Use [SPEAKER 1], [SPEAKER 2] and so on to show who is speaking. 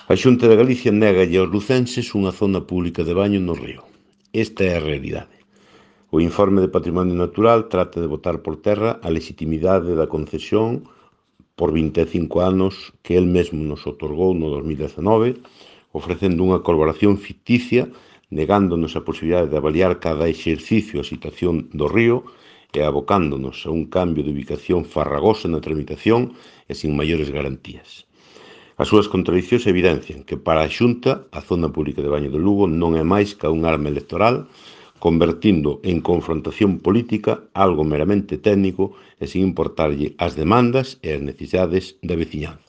[SPEAKER 1] A Xunta de Galicia négalle aos lucenses unha zona pública de baño no río. Esta é a realidade. O informe de Patrimonio Natural trata de botar por terra a legitimidade da concesión por 25 anos que el mesmo nos otorgou no 2019, ofrecendo unha colaboración ficticia, negándonos a posibilidade de avaliar cada exercicio a situación do río e abocándonos a un cambio de ubicación farragoso na tramitación e sin maiores garantías. As súas contradicións evidencian que para a Xunta a zona pública de baño do Lugo non é máis que un arma electoral, convertindo en confrontación política algo meramente técnico e sin importarlle as demandas e as necesidades da veciñanza.